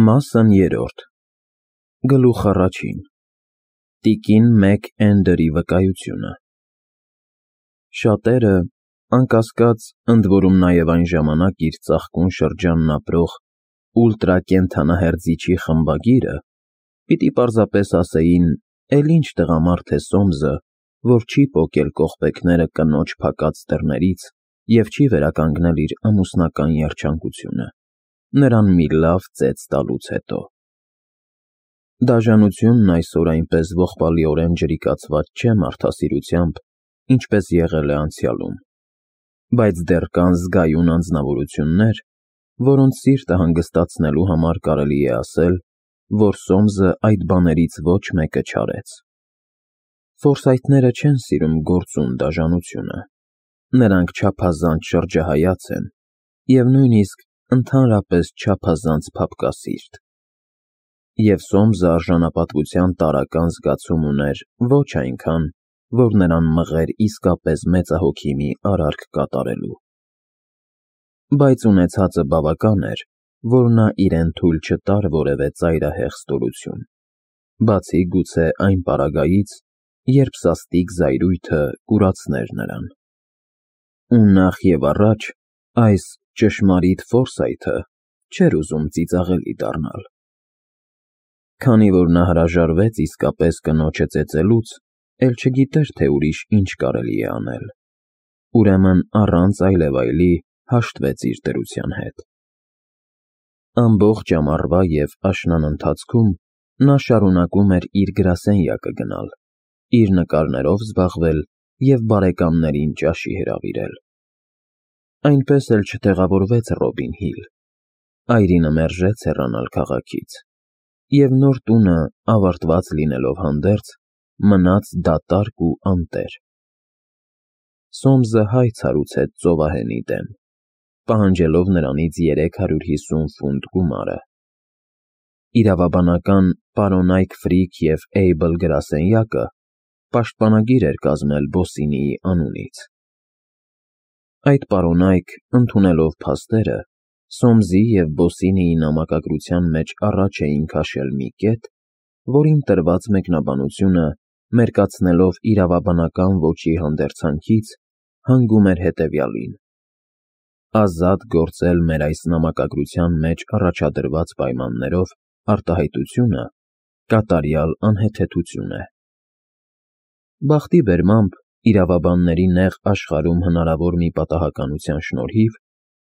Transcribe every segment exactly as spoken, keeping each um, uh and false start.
Մասն երրորդ Գլուխ առաջին Տիկին Մեկ Էնդերի վկայությունը Շատերը, անկասկած, ընդ որում նաև այն ժամանակ իր ծաղկուն շրջանն ապրող ուլտրակենդանահերձիչի խմբագիրը, պիտի պարզապես ասեին. «Էլ ինչ տղամարդ է Սոմսը, որ չի պոկել կողպեքները կնոջ փակած դռներից և չի վերականգնել իր ամուսնական երջանկությունը, նրան մի լավ ծեծ տալուց հետո»։ Դաժանությունն այսօր այնպես ողբալիորեն ջրիկացված չէ մարդասիրությամբ, ինչպես եղել է անցյալում, բայց դեռ կան զգայուն անձնավորություններ, որոնց սիրտը հանգստացնելու համար կարելի է ասել, որ Սոմսը այդ բաներից ոչ մեկը չարեց։ Ֆորսայթները չեն սիրում գործուն դաժանությունը, նրանք չափազանց շրջահայաց են և նույնիսկ ընդհանրապես չափազանց փափկասիրտ։ Եվ Սոմսը արժանապատվության տարրական զգացում ուներ ոչ այնքան, որ նրան մղեր իսկապես մեծահոգի մի արարք կատարելու։ Բայց ունեցածը բավական էր, որ նա իրեն թույլ չտար որևէ ծայրահեղ ստորություն, բացի գուցե այն պարագայից, երբ սաստիկ զայրույթը կուրացներ նրան։ Ու նախ և առաջ այս ճշմարիտ Ֆորսայթը չէր ուզում ծիծաղելի դառնալ։ Քանի որ նա հրաժարվեց իսկապես կնոջը ծեծելուց, էլ չգիտեր, թե ուրիշ ինչ կարելի է անել, ուրեմն առանց այլևայլի հաշտվեց իր դրության հետ։ Ամբողջ ամառվա և աշնան ընթացքում նա շարունակում էր իր գրասենյակը գնալ, իր նկարներով զբաղվել և բարեկամներին ճաշի հրավիրել։ Այնպես էլ չտեղավորվեց Ռոբին Հիլ, այրինը մերժեց հեռանալ քաղաքից, և նոր տունը, ավարտված լինելով հանդերձ, մնաց դատարկ ու անտեր։ Սոմսը հայց հարուցեց ծովահենի դեմ, պահանջելով նրանից երեք հարյուր հիսուն ֆունտ գումարը։ Իրավաբանական «Պարոնայք Ֆրիք և Էյբլ» գրասենյակը պաշտպանագիր էր կազմել Բոսինիի անունից։ Այդ պարոնայք, ընդունելով փաստերը, Սոմսի և Բոսինիի նամակագրության մեջ առաջ էին քաշել մի կետ, որին տրված մեկնաբանությունը, մերկացնելով իրավաբանական ոճի հանդերձանքից, հանգում էր հետևյալին. ազատ գործել մեր այս նամակագրության մեջ առաջադրված պայմաններով արտահայտությունը կատարյալ անհեթեթություն է։ Բախտի բերմամբ, իրավաբանների նեղ աշխարհում հնարավոր մի պատահականության շնորհիվ,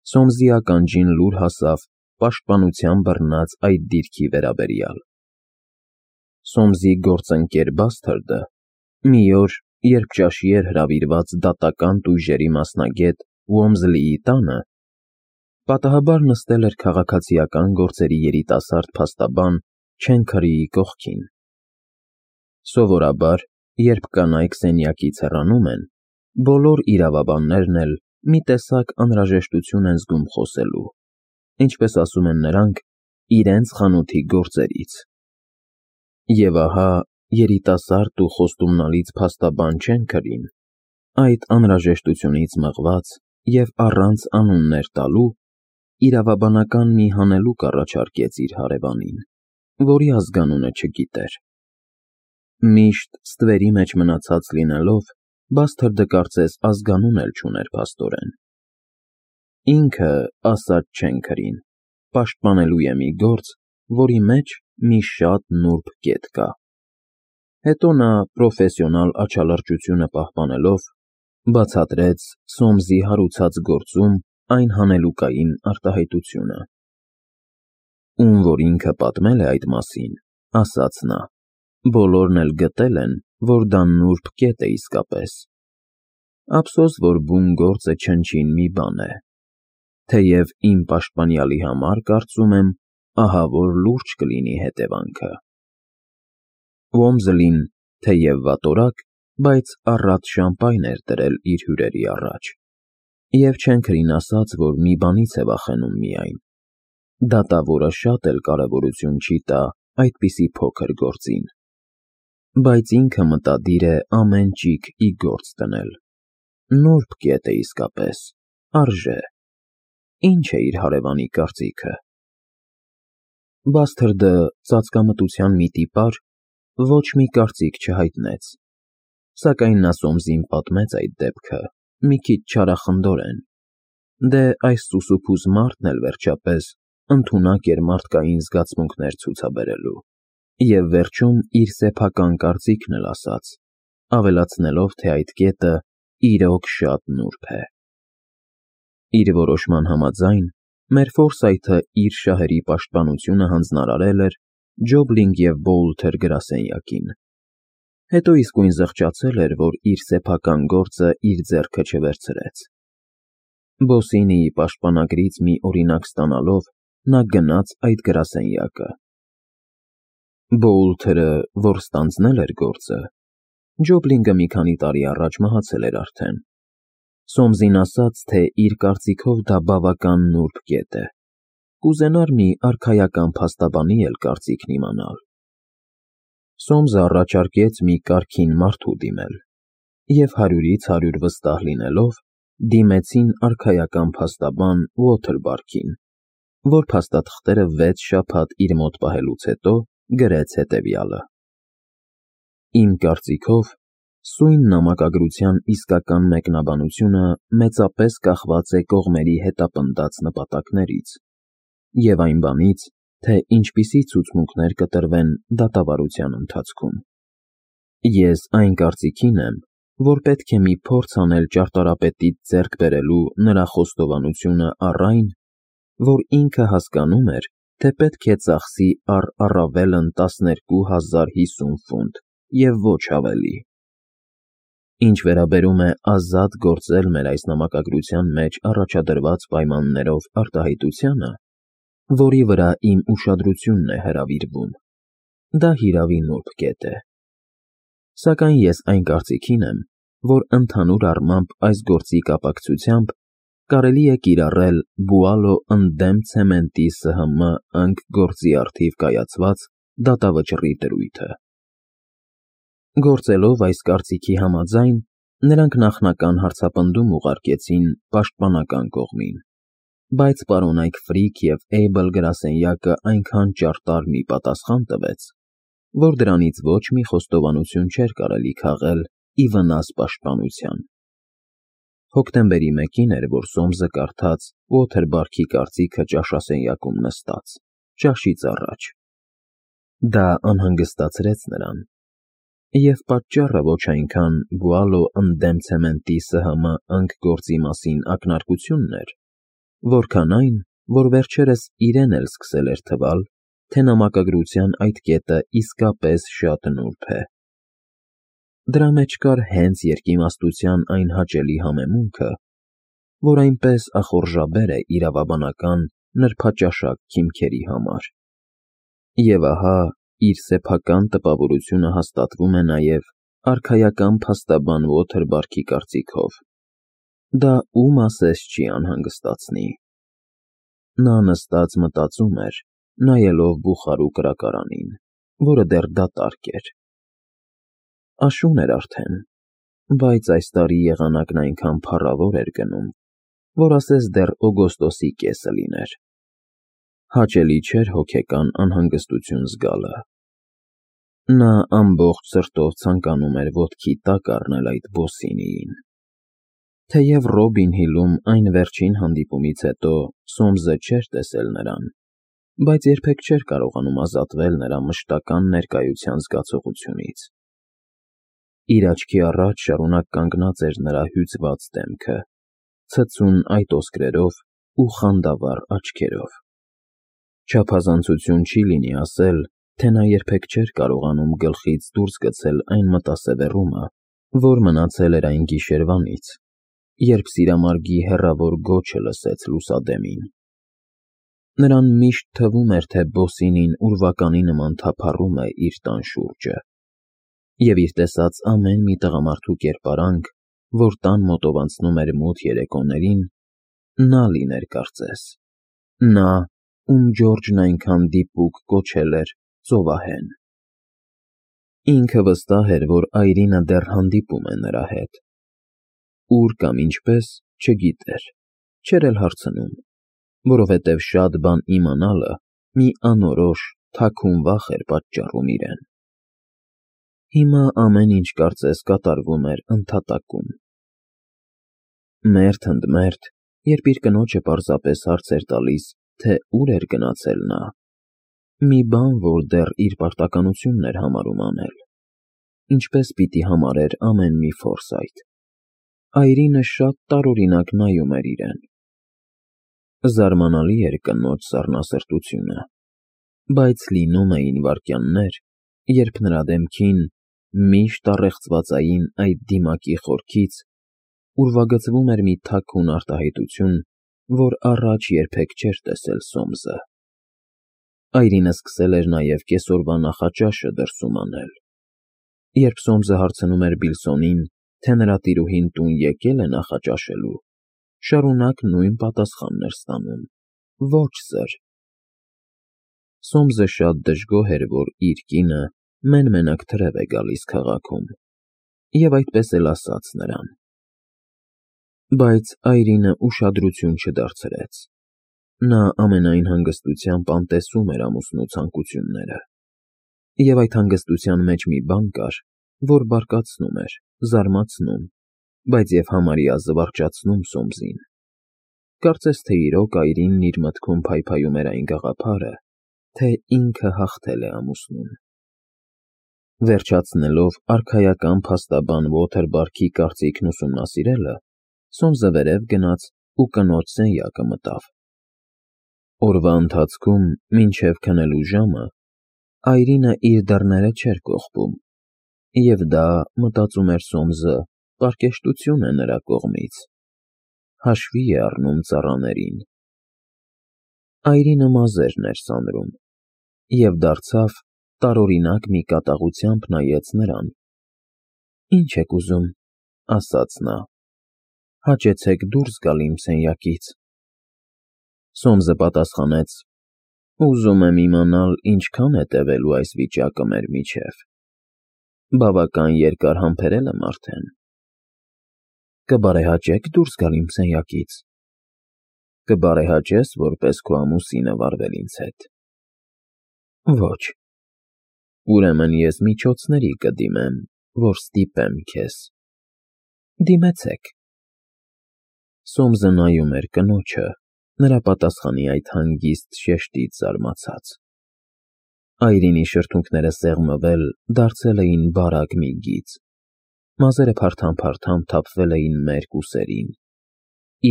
Սոմսի ականջին լուր հասավ պաշտպանության բռնած այդ դիրքի վերաբերյալ։ Սոմսի գործընկեր Բասթարդը մի օր, երբ ճաշի էր հրավիրված դատական տույժերի մասնագետ Ուոմզլիի տանը, պատահաբար նստել էր քաղաքացիական գործերի երիտասարդ փաստաբան Չենքըրիի կողքին։ Սովորաբար, երբ կանայք սենյակից հեռանում են, բոլոր իրավաբաններն էլ մի տեսակ անհրաժեշտություն են զգում խոսելու, ինչպես ասում են նրանք, իրենց խանութի գործերից։ Եվ ահա երիտասարդ ու խոստումնալից փաստաբան Չենքըրին, այդ անհրաժեշտությունից մղված և առանց անուններ տալու, իրավաբանական մի հանելուկ առաջարկեց իր հարևանին, որի ազգանունը չգիտեր։ Միշտ ստվերի մեջ մնացած լինելով, Բասթարդը կարծես ազգանուն էլ չուներ փաստորեն։ Ինքը, ասաց Չենքըրին, պաշտպանելու է մի գործ, որի մեջ մի շատ նուրբ կետ կա։ Հետո նա, պրոֆեսիոնալ աչալրջությունը պահպանելով, բացատրեց Սոմսի հարուցած գործում այն հանելուկային արտահայտությունը։ Ում որ ինքը պատմել է այդ մասին, ասաց նա, բոլորն էլ գտել են, որ դա նուրբ կետ է իսկապես։ Ափսոս, որ բուն գործը չնչին մի բան է, թեև իմ պաշտպանյալի համար, կարծում եմ, ահավոր լուրջ կլինի հետևանքը։ Ուոմզլին, թեև վատորակ, բայց առատ շամպայն էր դրել իր հյուրերի առաջ, և Չենքըրին ասաց, որ մի բանից է վախենում միայն. դատավորը շատ էլ կարևորություն չի տա այդպիսի փոքր գործին, բայց ինքը մտադիր է ամեն ճիգ ի գործ դնել։ Նուրբ կետ է իսկապես, արժե։ Ինչ է իր հարևանի կարծիքը։ Բասթրդը ծածկամտության մի տիպար ոչ մի կարծիք չհայտնեց, սակայն նա Սոմսին պատմեց այդ դեպքը մի քիչ չարախնդորեն, դե այս սուսուփուզ մարդն էլ վերջապես ընդունակ էր մարդկային զգացմունքներ ցուցաբերելու, և վերջում իր սեփական կարծիքն էլ ասաց, ավելացնելով, թե այդ կետը իրոք շատ նուրբ է։ Իր որոշման համաձայն, մեր Ֆորսայթը իր շահերի պաշտպանությունը հանձնարարել էր Ջոբլինգ և Բոուլթեր գրասենյակին, հետո իսկույն զղջացել էր, որ իր սեփական գործը իր ձեռքը չվերցրեց։ Բոսինիի պաշտպանագրից մի օրինակ ստանալով, նա գնաց այդ գրասենյակը։ Բոուլթերը, որ ստանձնել էր գործը, Ջոբլինգը մի քանի տարի առաջ մահացել էր արդեն։ Սոմսին ասաց, թե իր կարծիքով դա բավական նուրբ կետ է, կուզենար մի արքայական փաստաբանի էլ կարծիքն իմանալ։ Սոմսը առաջարկեց մի կարգին մարդու դիմել, և հարյուրից հարյուր վստահ լինելով, դիմեցին արքայական փաստաբան Ուոթերբարքին, որ փաստաթղթերը վեց շաբաթ իր մոտ պահելուց հետո գրեց հետևյալը. Իմ կարծիքով, սույն նամակագրության իսկական մեկնաբանությունը մեծապես կախված է կողմերի հետապնդած նպատակներից և այն բանից, թե ինչպիսի ցուցմունքներ կտրվեն դատավարության ընթացքում։ Ես այն կարծիքին եմ, որ պետք է մի փորձ անել ճարտարապետից ձեռք բերելու նրա խոստովանությունը առ այն, որ ինքը հասկանում էր, թե պետք է ծախսի առ առավելն տասներկու հազար հիսուն ֆունտ և ոչ ավելի։ Ինչ վերաբերում է ազատ գործել մեր այս նամակագրության մեջ առաջադրված պայմաններով արտահայտությանը, որի վրա իմ ուշադրությունն է հրավիրվում, դա հիրավի նուրբ կետ է։ Սակայն ես այն կարծիքին եմ, որ ընդհանուր առմամբ այս գործի կապակցությամբ կարելի է կիրառել Բուալո ընդդեմ ցեմենտի ՍՀՄ ընկ գործի առթիվ կայացված դատավճռի դրույթը։ Գործելով այս կարծիքի համաձայն, նրանք նախնական հարցապնդում ուղարկեցին պաշտպանական կողմին, բայց պարոնայք Ֆրիք և Էյբլ գրասենյակը այնքան ճարտար մի պատասխան տվեց, որ դրանից ոչ մի խոստովանություն չէր կարելի քաղել ի վնաս պաշտպանության։ Հոկտեմբերի մեկին էր, որ Սոմսը կարդաց Ուոթերբարքի կարծիքը ճաշասենյակում նստած, ճաշից առաջ։ Դա անհանգստացրեց նրան, և պատճառը ոչ այնքան Բուալո ընդդեմ ցեմենտի ՍՀՄ ընկ գործի մասին ակնարկությունն էր, որքան այն, որ վերջերս իրեն էլ սկսել էր թվալ, թե նամակագրության այդ կետը իսկապես շատ նուրբ է։ Դրա մեջ կար հենց երկիմաստության այն հաճելի համեմունքը, որ այնպես ախորժաբեր է իրավաբանական նրբաճաշակ քիմքերի համար։ Եվ ահա իր սեփական տպավորությունը հաստատվում է նաև արքայական փաստաբան Ուոթերբարքի կարծիքով։ Դա ում ասես չի անհանգստացնի։ Նա նստած մտածում էր, նայելով բուխարու կրակարանին, որը դեռ դատարկ էր։ Աշուն էր արդեն, բայց այս տարի եղանակն այնքան փառավոր էր գնում, որ ասես դեռ օգոստոսի կեսը լիներ։ Հաճելի չէր հոգեկան անհանգստություն զգալը։ Նա ամբողջ սրտով ցանկանում էր ոտքի տակ առնել այդ Բոսինիին։ Թեև Ռոբին Հիլում այն վերջին հանդիպումից հետո Սոմսը չէր տեսել նրան, բայց երբեք չէր կարողանում ազատվել նրա մշտական ներկայության զգացողությունից։ Իր աչքի առաջ շարունակ կանգնած էր նրա հյուծված դեմքը, ցցուն այդ ոսկրերով ու խանդավառ աչքերով։ Չափազանցություն չի լինի ասել, թե նա երբեք չէր կարողանում գլխից դուրս գցել այն մտասևեռումը, որ մնացել էր այն գիշերվանից, երբ սիրամարգի հեռավոր գոչը լսեց լուսադեմին։ Նրան միշտ թվում էր, թե Բոսինին ուրվականի նման թափառում է իր տան շուրջը, և իր տեսած ամեն մի տղամարդու կերպարանք, որ տան մոտով անցնում էր մութ երեկոներին, նա լիներ կարծես, նա, ում Ջորջն այնքան դիպուկ կոչել էր ծովահեն։ Ինքը վստահ էր, որ Այրինը դեռ հանդիպում է նրա հետ։ Ուր կամ ինչպես, չգիտեր, չէր էլ հարցնում, որովհետև շատ բան իմանալը մի անորոշ, թաքուն վախ էր պատճառում իրեն։ Հիմա ամեն ինչ կարծես կատարվում էր ընդհատակում։ Մերթ ընդ մերթ, երբ իր կնոջը պարզապես հարց էր տալիս, թե ուր էր գնացել նա, մի բան, որ դեռ իր պարտականությունն էր համարում անել, ինչպես պիտի համարեր ամեն մի Ֆորսայթ, այրինը շատ տարօրինակ նայում էր իրեն։ Զարմանալի էր կնոջ սառնասրտությունը, բայց լինում էին վայրկյաններ, երբ նրա դեմքին, միշտ առեղծվածային այդ դիմակի խորքից, ուրվագծվում էր մի թաքուն արտահայտություն, որ առաջ երբեք չէր տեսել Սոմսը։ Այրինը սկսել էր նաև կեսօրվա նախաճաշը դրսում անել։ Երբ Սոմսը հարցնում էր Բիլսոնին, թե նրա տիրուհին տուն եկել է նախաճաշելու, շարունակ նույն պատասխանն էր ստանում. ոչ, սըր։ Սոմսը շատ դժգոհ էր, որ իր կինը մեն֊մենակ թրև է գալիս քաղաքում, և այդպես էլ ասաց նրան։ Բայց Այրինը ուշադրություն չդարձրեց։ Նա ամենայն հանգստությամբ անտեսում էր ամուսնու ցանկությունները, և այդ հանգստության մեջ մի բան կար, որ բարկացնում էր, զարմացնում, բայց և համարյա զվարճացնում Սոմսին։ Կարծես թե իրոք Այրինն իր մտքում փայփայում էր այն գաղափարը, թե ինքը հաղթել է ամուսնուն։ Վերջացնելով արքայական փաստաբան Ոթերբարքի կարծիքն ուսումնասիրելը, Սոմսը վերև գնաց ու կնոջ սենյակը մտավ։ Օրվա ընթացքում, մինչև քնելու ժամը, Այրինը իր դռները չէր կողպում, և դա, մտածում էր Սոմսը, պարկեշտություն է նրա կողմից, հաշվի է առնում ծառաներին։ Այրինը մազերն էր սանրում, և դարձավ, տարօրինակ մի կատաղությամբ նայեց նրան։ Ինչ եք ուզում, ասաց նա, հաճեցեք դուրս գալ իմ սենյակից։ Սոմսը պատասխանեց. ուզում եմ իմանալ, ինչքան է տևելու այս վիճակը մեր միջև։ Բավական երկար համբերել եմ արդեն։ Կբարեհաճե՞ք դուրս գալ իմ սենյակից։ Կբարեհաճե՞ս, որպես քո ամուսինը, վարվել ինձ հետ։ Ոչ։ Ուրեմն ես միջոցների կդիմեմ, որ ստիպեմ քեզ։ Դիմեցեք։ Սոմսը նայում էր կնոջը, նրա պատասխանի այդ հանգիստ շեշտից զարմացած։ Այրինի շրթունքները սեղմվել, դարձել էին բարակ մի գիծ։ Մազերը փարթամ-փարթամ թափվել էին մերկ ուսերին,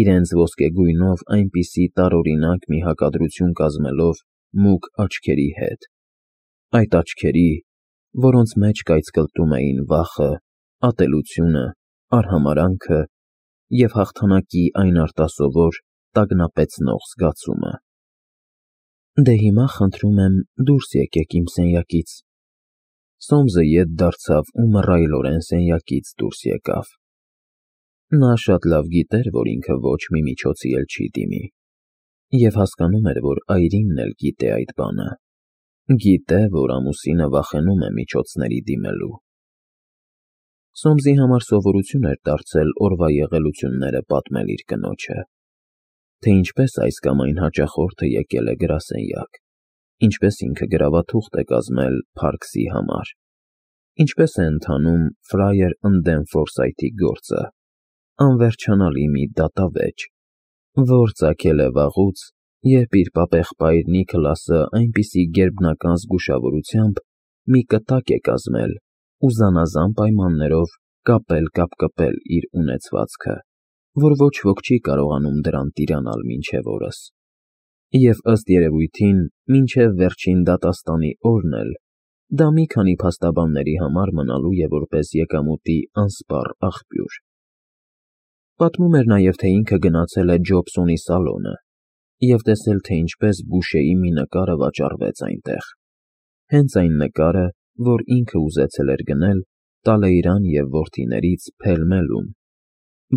իրենց ոսկեգույնով այնպիսի տարօրինակ մի հակադրություն կազմելով մուգ աչքերի հետ, այդ աչքերի, որոնց մեջ կայծկլտում էին վախը, ատելությունը, արհամարհանքը և հաղթանակի այն արտասովոր, տագնապեցնող զգացումը։ Դե հիմա խնդրում եմ դուրս եկեք իմ սենյակից։ Սոմսը ետ դարձավ ու մռայլորեն սենյակից դուրս եկավ։ Նա շատ լավ գիտեր, որ ինքը ոչ մի միջոցի էլ չի դիմի, և հասկանում էր, որ Այրինն էլ գիտե այդ բանը, գիտե, որ ամուսինը վախենում է միջոցների դիմելու։ Սոմսի համար սովորություն էր դարձել օրվա եղելությունները պատմել իր կնոջը, թե ինչպես այս կամ այն հաճախորդը եկել է գրասենյակ, ինչպես ինքը գրավաթուղթ է կազմել Փարքսի համար, ինչպես է ընթանում ֆրայեր ընդդեմ Ֆորսայթի գործը, անվերջանալի մի դատավեճ, որ ծագել է վաղուց, երբ իր պապեղբայր Նիքլասը այնպիսի գերբնական զգուշավորությամբ մի կտակ է կազմել ու զանազան պայմաններով կապել-կապկպել իր ունեցվածքը, որ ոչ ոք չի կարողանում դրան տիրանալ մինչև օրս, և ըստ երևույթին, մինչև վերջին դատաստանի օրն էլ, դա մի քանի փաստաբանների համար մնալու է որպես եկամուտի անսպառ աղբյուր։ Պատմում էր նաև, թե ինքը գնացել է Ջոբսոնի սալոնը և տեսել, թե ինչպես Բուշեի մի նկարը վաճառվեց այնտեղ, հենց այն նկարը, որ ինքը ուզեցել էր գնել Տալեյրան և որդիներից Փել֊Մելում,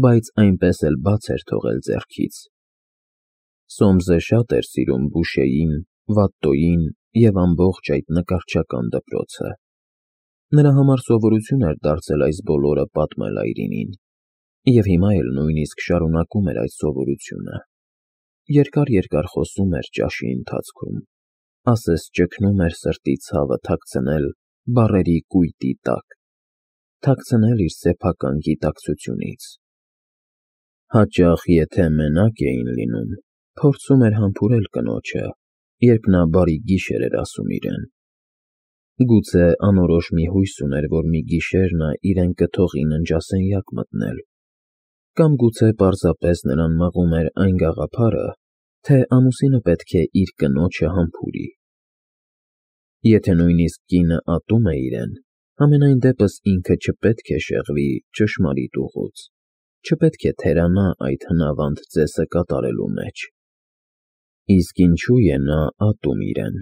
բայց այնպես էլ բաց էր թողել ձեռքից։ Սոմսը շատ էր սիրում Բուշեին, Վատտոյին և ամբողջ այդ նկարչական դպրոցը։ Նրա համար սովորություն էր դարձել այս բոլորը պատմել Այրինին, և հիմա էլ նույնիսկ շարունակում էր այդ սովորությունը։ Երկար֊երկար խոսում էր ճաշի ընթացքում, ասես ճգնում էր սրտի ցավը թաքցնել բառերի կույտի տակ, թաքցնել իր սեփական գիտակցությունից։ Հաճախ, եթե մենակ էին լինում, փորձում էր համբուրել կնոջը, երբ նա բարի գիշեր էր ասում իրեն։ Գուցե անորոշ մի հույս ուներ, որ մի գիշեր նա իրեն կթողի ննջասենյակ մտնել, կամ գուցե պարզապես նրան մղում էր այն գաղափարը, թե ամուսինը պետք է իր կնոջը համբուրի։ Եթե նույնիսկ կինը ատում է իրեն, համենայն դեպս ինքը չպետք է շեղվի ճշմարիտ ուղուց, չպետք է թերանա այդ հնավանդ ծեսը կատարելու մեջ։ Իսկ ինչու է նա ատում իրեն։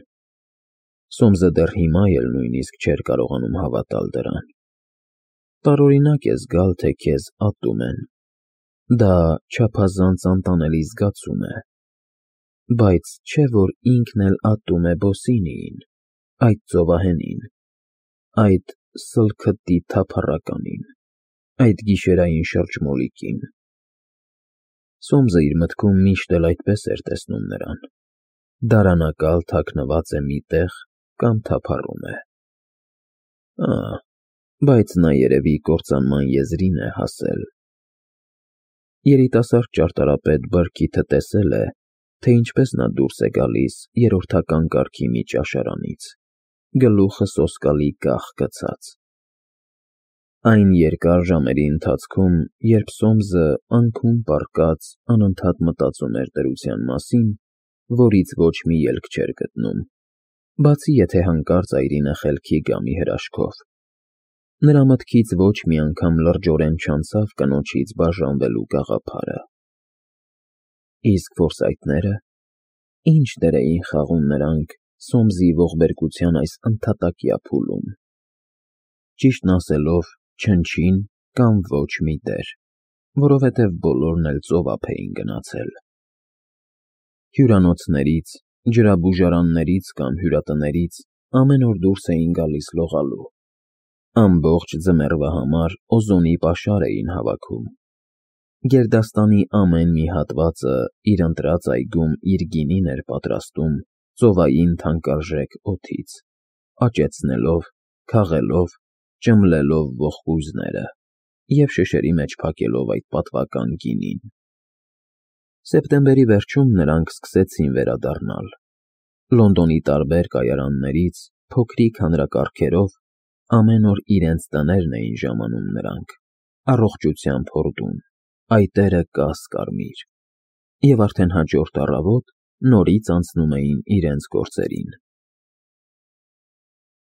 Սոմսը դեռ հիմա էլ նույնիսկ չէր կարողանում հավատալ դրան։ Տարօրինակ է զգալ, թե քեզ ատում են։ Դա չափազանց անտանելի զգացում է։ Բայց չէ՞ որ ինքն էլ ատում է Բոսինիին, այդ ծովահենին, այդ սլքտի թափառականին, այդ գիշերային շրջմոլիկին։ Սոմսը իր մտքում միշտ էլ այդպես էր տեսնում նրան։ Դարանակալ թաքնված է մի տեղ կամ թափառում է։ Ա՜, բայց նա երևի կործանման եզրին է հասել։ Երիտասարդ ճարտարապետ Բրքիթը տեսել է, թե ինչպես նա դուրս է գալիս երրորդական կարգի մի ճաշարանից, գլուխը սոսկալի կախ գցած։ Այն երկար ժամերի ընթացքում, երբ Սոմսը անքուն պառկած անընդհատ մտածում էր դրության մասին, որից ոչ մի ելք չէր գտնում, բացի եթե հանկարծ այրինը խելքի գա մի հրաշքով։ Նրա մտքից ոչ մի անգամ լրջորեն չանցավ կնոջից բաժանվելու գաղափարը։ Իսկ ֆորսայթները, ի՞նչ դեր էին խաղում նրանք Սոմսի ողբերգության այս ընդհատակյա փուլում։ Ճիշտն ասելով, չնչին կամ ոչ մի դեր, որովհետև բոլորն էլ ծովափ էին գնացել։ Հյուրանոցներից, ջրաբուժարաններից կամ հյուրատներից ամեն օր դուրս էին գալիս լողալու։ Ամբողջ ձմեռվա համար օզոնի պաշար էին հավաքում։ Գերդաստանի ամեն մի հատվածը իր ընտրած այգում իր գինին էր պատրաստում ծովային թանկարժեք օդից, աճեցնելով, քաղելով, ճմլելով ողկույզները և շշերի մեջ փակելով այդ պատվական գինին։ Սեպտեմբերի վերջում նրանք սկսեցին վերադառնալ։ Լոնդոնի տարբեր կայարաններից փոքրիկ հանրակարգերով ամեն օր իրենց տներն էին ժամանում նրանք, առողջությամբ հորդում, այտերը կաս֊կարմիր, և արդեն հաջորդ առավոտ նորից անցնում էին իրենց գործերին։